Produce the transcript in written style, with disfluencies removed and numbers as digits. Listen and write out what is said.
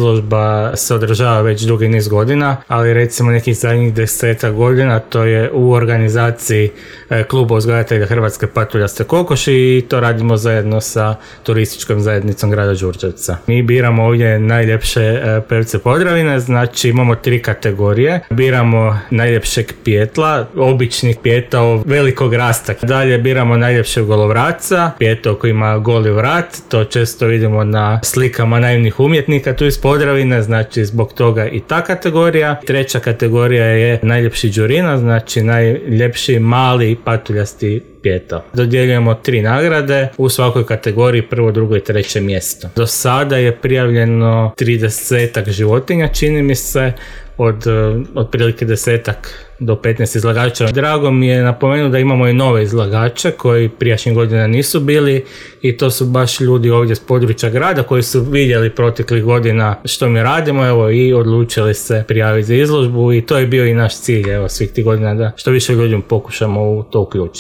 izložba se održava već dugi niz godina, ali recimo nekih zadnjih 10 godina to je u organizaciji Kluba uzgajatelja Hrvatske patuljaste kokoši i to radimo zajedno sa turističkom zajednicom grada Đurđevca. Mi biramo ovdje najljepše pevce Podravine, znači imamo 3 kategorije. Biramo najljepšeg pijetla, običnih pijetao velikog rasta. Dalje biramo najljepšeg golovraca, pijetao koji ima goli vrat, to često vidimo na slikama naivnih umjetnika tu iz Podravine, znači zbog toga i ta kategorija. 3. kategorija je najljepši đurina, znači najljepši mali patuljasti pijetao. Dodjeljujemo 3 nagrade, u svakoj kategoriji 1., 2. i 3. mjesto. Do sada je prijavljeno 30 životinja, čini mi se, od otprilike 10 do 15 izlagača. Drago mi je napomenuti da imamo i nove izlagače koji prijašnjih godina nisu bili i to su baš ljudi ovdje s područja grada koji su vidjeli proteklih godina što mi radimo, evo, i odlučili se prijaviti za izložbu i to je bio i naš cilj, evo, svih tih godina da što više ljudi pokušamo u to uključiti.